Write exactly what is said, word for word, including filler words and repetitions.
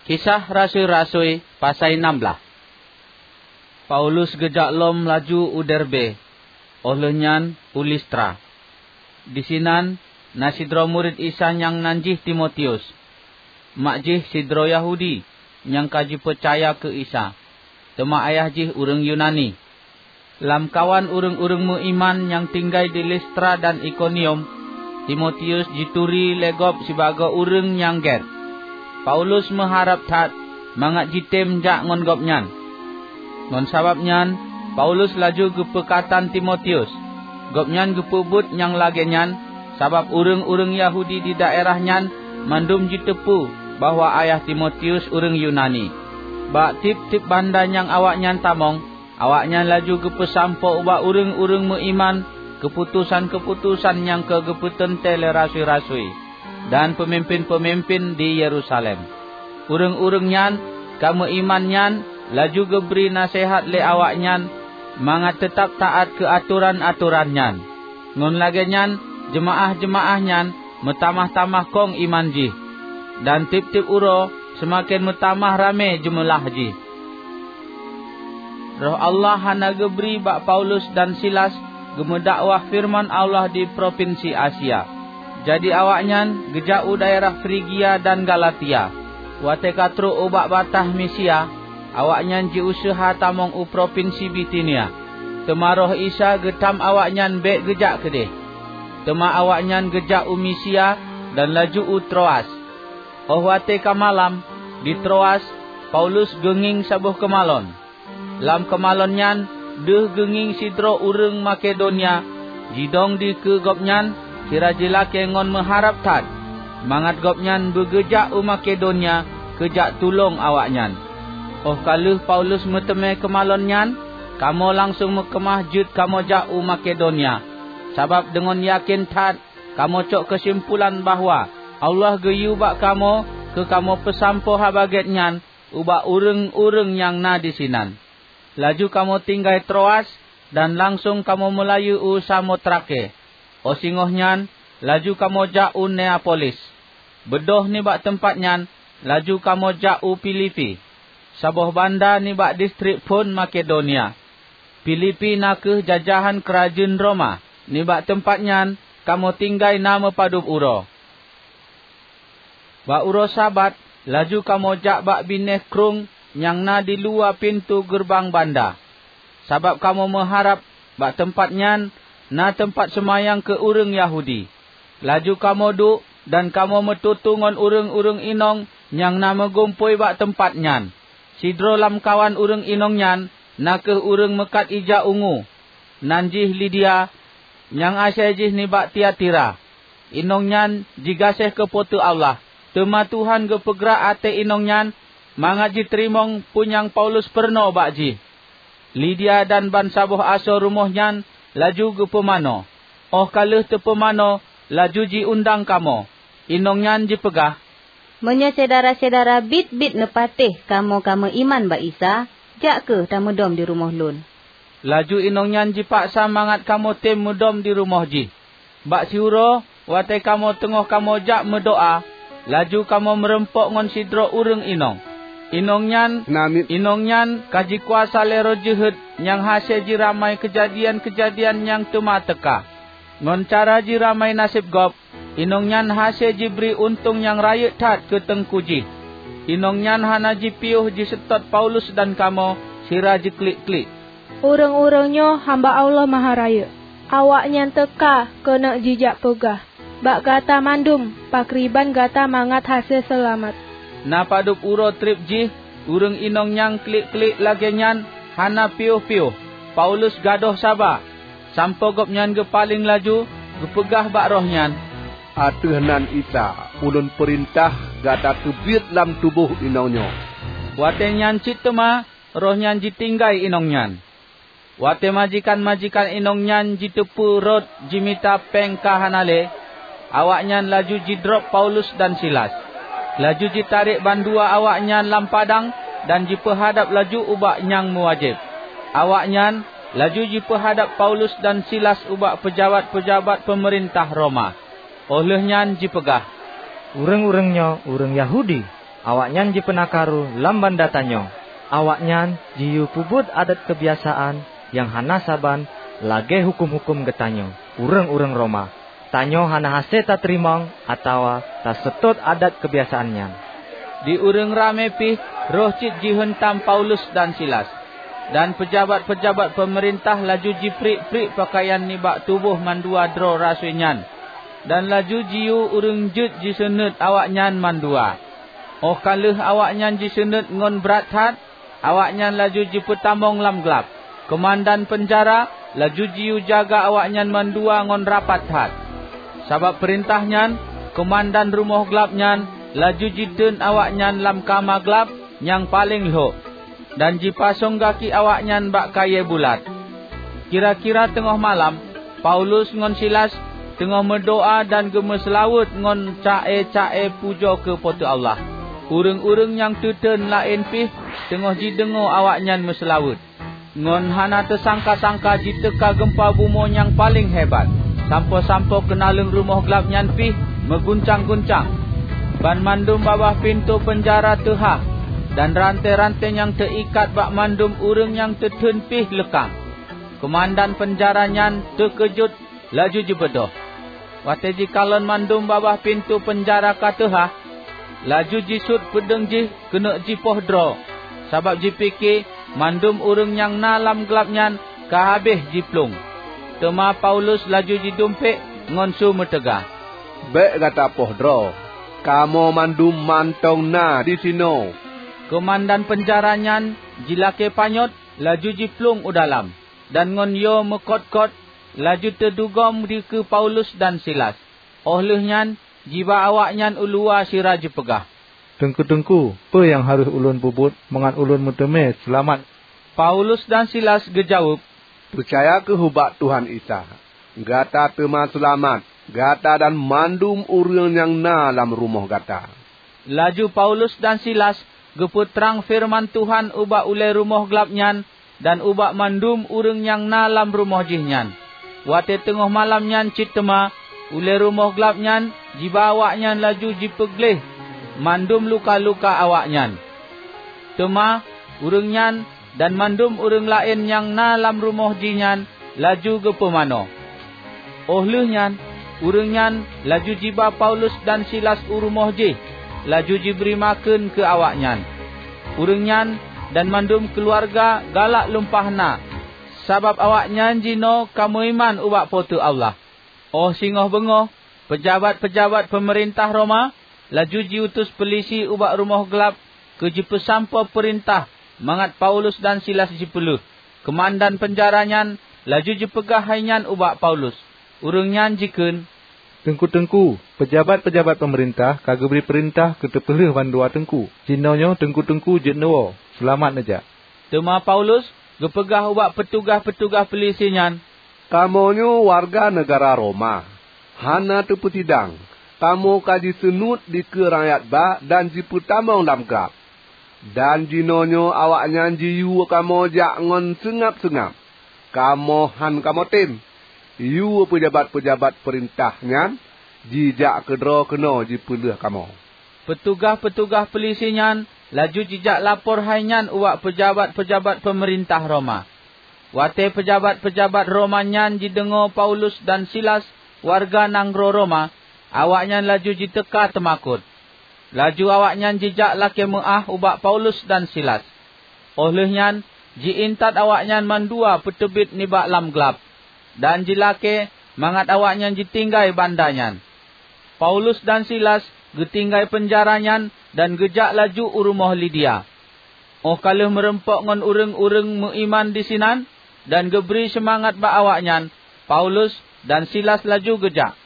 Kisah Rasui-rasui, pasai nam blaih. Paulus geujak lom laju u Derbe, óh lheueh nyan u Listra. Disinan na sidroe murit Isa nyang nan jih Timotius. Mak jih sidroe Yahudi nyang ka jipeucaya keu Isa, teuma ayah jih ureuëng Yunani. Lamkawan ureuëng-ureuëng meuiman nyang tinggai di Listra dan Ikonium, Timotius jituri lé gob sibagoe ureuëng nyang gét. Paulus meuharab that mangat jitem jak ngon gobnyan. Ngon sabab nyan, Paulus laju geupeukatan Timotius. Gobnyan geupeubuet nyang lagée nyan, sabab ureuëng-ureuëng Yahudi di daerah nyan mandum jiteupeue bahwa ayah Timotius ureuëng Yunani. Bak tieb-tieb banda nyang awaknyan tamong, awaknyan laju geupeusampoe ubak ureuëng-ureuëng meuiman keuputosan-keuputosan nyang ka geupeuteuntée lé rasui-rasui dan peumimpén-peumimpén di Yerusalem. Ureuëng-ureuëng nyan ka meuiman nyan laju geubri naseuhat lé awaknyan mangat teutab taát keu atoran-atoran nyan. Ngon lagée nyan, jeumaáh-jeumaáh nyan meutamah-tamah kong iman jih, dan tieb-tieb uroe seumaken meutamah ramé jeumeulah jih. Roh Allah hana geubri bak Paulus dan Silas geumeudakwah feureuman Allah di propinsi Asia. Jadi awaknyan geujak u daerah Frigia dan Galatia. Watée ka trok ubak bataih Misia, awaknyan jiuseuha tamong u propinsi Bitinia. Teuma Roh Isa geutam awaknyan bék geujak keudeh. Teuma awaknyan geujak u Misia dan laju u Troas. Óh watée ka malam, di Troas, Paulus geungieng saboh keumalon. Lam keumalon nyan deuh geungieng sidroe ureuëng Makedonia jidong dikeue gobnyan sira jilakée ngon meuharab that, mangat gobnyan beugeujak u Makedonia keu jak tulông awaknyan. Óh ka lheueh Paulus meuteumé keumalon nyan, kamoe langsong meukeumah jeuet kamoe jak u Makedonia, sabab deungon yakén that kamoe cok keusimpulan bahwa Allah geuyue bak kamoe keu kamoe peusampoe Haba Gét nyan ubak ureuëng-ureuëng nyang na disinan. Laju kamoe tinggai Troas dan langsong kamoe meulayeue u Samotrake. Óh singoh nyan, laju kamoe jak u Neapolis. Beudôh nibak teumpat nyan, laju kamoe jak u Filipi, saboh banda nibak distrik phon Makedonia. Filipi na kheueh jajahan keurajeuen Roma. Nibak teumpat nyan kamoe tinggai na meupadub uroe. Bak uroe Sabat, laju kamoe jak bak binéh krueng nyang na di luwa pintoe geureubang banda. Sabab kamoe meuharab bak teumpat nyan na teumpat seumayang keu ureuëng Yahudi. Laju kamoe duek dan kamoe meututoe ngon ureuëng-ureuëng inong nyang na meugumpôi bak teumpat nyan. Sidroe lamkawan ureuëng inong nyan na kheueh ureuëng meukat ija ungu, nan jih Lidia, nyang asai jih nibak Tiatira. Inong nyan jigaséh keu Po teu Allah, teuma Tuhan geupeugrak até inong nyan mangat jiteurimong peue nyang Paulus peurunoe bak jih. Lidia dan bansaboh asoe rumoh nyan laju geupeumanoe. Óh ka lheueh teupeumanoe, laju jiundang kamoe. Inong nyan jipeugah, "Meunyoe syedara-syedara biet-biet neupatéh kamoe ka meuiman bak Isa, jak kheueh tameudom di rumoh lôn." Laju inong nyan jipaksa mangat kamoe tem meudom di rumoh jih. Bak siuroe, watée kamoe teungoh kamoe jak meudoá, laju kamoe meurumpok ngon sidroe ureuëng inong. Inong nyan, inong nyan ka jikuasa lé roh jeuhet nyang hase jiramai keujadian-keujadian nyang teuma teuka. Ngon cara jiramai naseb gob, inong nyan hase jibri untông nyang rayeuk that keu teungku jih. Inong nyan hana jipiôh jiseutôt Paulus dan kamoe sira jiklik-klik. "Ureuëng-ureuëng nyoe hamba Allah Maharayeuk. Awaknyan teuka keuneuk jijak peugah bak gata mandum pakriban gata mangat hase seulamat." Na padub uroe treb jih, ureuëng inong nyang klik-klik lagée nyan hana piôh-piôh. Paulus gadôh saba, sampoe gobnyan geupaleng laju geupeugah bak roh nyan, "Ateueh nan Isa ulôn peurintah gata teubiet lam tuboh inong nyoe." Watée nyan cit teuma roh nyan jitinggai inong nyan. Watée majikan-majikan inong nyan jiteupeue rot jimita péng ka hana lé, awaknyan laju jidrob Paulus dan Silas. Laju jitarek bandua awaknyan lam padang dan jipeuhadab laju ubak nyang meuwajéb. Awaknyan laju jipeuhadab Paulus dan Silas ubak peujabat-peujabat peumeurintah Roma. Óh lheueh nyan jipeugah, "Ureuëng-ureuëng nyoe ureuëng Yahudi. Awaknyan jipeuna karu lam banda tanyoe. Awaknyan jiyue peubuet adat keubiasaan nyang hana saban lagée huköm-huköm geutanyoe, ureuëng-ureuëng Roma. Tanyoe hana hase tateurimong atawa taseutôt adat keubiasaan nyan." Di ureuëng ramé pih roh cit jihuntam Paulus dan Silas. Dan peujabat-peujabat peumeurintah laju jipriek-priek peukayan nibak tuboh mandua droe rasui nyan, dan laju jiyue ureuëng jeuet jiseunuet awaknyan mandua. Óh ka lheueh awaknyan jiseunuet ngon brat that, awaknyan laju jipeutamong lam glab. Keumandan peunjara laju jiyue jaga awaknyan mandua ngon rapat that. Sabab peurintah nyan, keumandan rumoh glab nyan laju jiteun awaknyan lam kama glab nyang paleng lhok, dan jipasong gaki awaknyan bak kayée bulat. Kira-kira teungoh malam, Paulus ngon Silas teungoh meudoá dan geumeuseulaweuet ngon ca-e-ca-e pujoe keu Po teu Allah. Ureuëng-ureuëng nyang teuteun laén pih teungoh jideungoe awaknyan meuseulaweuet. Ngon hana teusangka-sangka jiteuka geumpa bumoe nyang paleng hebat, sampoe-sampoe keunaleueng rumoh glab nyan pih meuguncang-guncang. Banmandum babah pintoe peunjara teuhah, dan ranté-ranté nyang teuikat bak mandum ureuëng nyang teuteun pih leukang. Keumandan peunjara nyan teukeujot laju jibeudôh. Watée jikalon mandum babah pintoe peunjara ka teuhah, laju jisuet peudeueng jih keuneuk jipoh droe, sabab jipike mandum ureuëng nyang na lam glab nyan ka habéh jiplueng. Teuma Paulus laju jidumpék ngon su meuteuga, "Bék gata poh droe! Kamoe mandum mantong na disinoe!" Keumandan peunjara nyan jilakée panyöt laju jiplueng u dalam, dan ngon yo meukot-kot laju teudugom dikeue Paulus dan Silas. Óh lheueh nyan jiba awaknyan u luwa sira jipeugah, "Teungku-teungku, peue nyang harôh ulôn peubuet mangat ulôn meuteumé seulamat?" Paulus dan Silas geujaweueb, "Peucaya kheueh ubak Tuhan Isa, gata teuma seulamat, gata dan mandum ureuëng nyang na lam rumoh gata." Laju Paulus dan Silas geupeutrang feureuman Tuhan ubak ulée rumoh glab nyan dan ubak mandum ureuëng nyang na lam rumoh jih nyan. Watée teungoh malam nyan cit teuma, ulée rumoh glab nyan jiba awaknyan laju jipeugleh mandum luka-luka awaknyan. Teuma ureuëng nyan dan mandum ureuëng laén nyang na lam rumoh jih nyan laju geupeumanoe. Óh lheueh nyan, ureuëng nyan laju jiba Paulus dan Silas u rumoh jih, laju jibri makheun keu awaknyan. Ureuëng nyan dan mandum keuluwarga galak lumpah na, sabab awaknyan jinoe ka meuiman ubak Po teu Allah. Óh singoh beungoh, peujabat-peujabat peumeurintah Roma laju jiutus peulisi ubak rumoh glab keu jipeusampoe peurintah mangat Paulus dan Silas jipeuleueh. Keumandan peunjara nyan laju jipeugah hai nyan ubak Paulus. Ureuëng nyan jikheun, "Teungku-teungku, peujabat-peujabat peumeurintah ka geubri peurintah keu teupeuleueh bandua teungku. Jinoenyoe teungku-teungku jeuet neuwoe, seulamat neujak." Teuma Paulus geupeugah ubak peutugaih-peutugaih peulisi nyan, "Kamoe nyoe wareuga neugara Roma, hana teupeusidang. Kamoe ka jiseunuet dikeue rakyat ba dan jipeutamong lam glab. Dan jinoenyoe awaknyan jiyue kamoe jak ngon seungab-seungab. Kamoe han kamoe tem. Yue peujabat-peujabat peurintah nyan jijak keudroe keunoe jipeuleueh kamoe." Peutugaih-peutugaih peulisi nyan laju jijak lapor hai nyan ubak peujabat-peujabat peumeurintah Roma. Watée peujabat-peujabat Roma nyan jideungoe Paulus dan Silas wareuga nanggroe Roma, awaknyan laju jiteuka teumakot. Laju awaknyan jijak lakée meuáh ubak Paulus dan Silas. Óh lheueh nyan, ji-intat awaknyan mandua peuteubiet nibak lam glab, dan jilakée mangat awaknyan jitinggai banda nyan. Paulus dan Silas geutinggai peunjara nyan dan geujak laju u rumoh Lidia. Óh ka lheueh meurumpok ngon ureuëng-ureuëng meuiman disinan dan geubri seumangat bak awaknyan, Paulus dan Silas laju geujak.